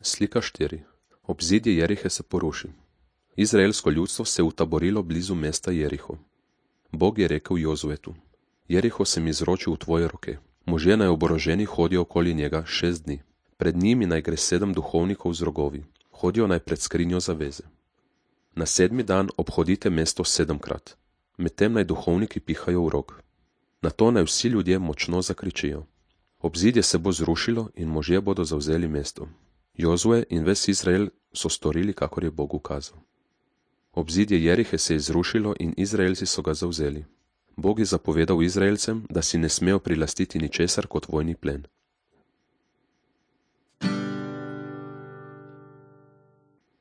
Slika 4. Obzidje Jerihe se poruši. Izraelsko ljudstvo se je utaborilo blizu mesta Jeriho. Bog je rekel Jozuetu: Jeriho sem izročil v tvoje roke. Možje naj oboroženi hodijo okoli njega 6 dni. Pred njimi naj gre 7 duhovnikov z rogovi. Hodijo naj pred skrinjo zaveze. Na 7. dan obhodite mesto 7-krat. Medtem naj duhovniki pihajo v rog. Nato naj vsi ljudje močno zakričijo. Obzidje se bo zrušilo in možje bodo zavzeli mesto. Jozue in ves Izrael so storili, kakor je Bog ukazal. Obzidje Jerihe se je zrušilo in Izraelci so ga zavzeli. Bog je zapovedal Izraelcem, da si ne smejo prilastiti ničesar kot vojni plen.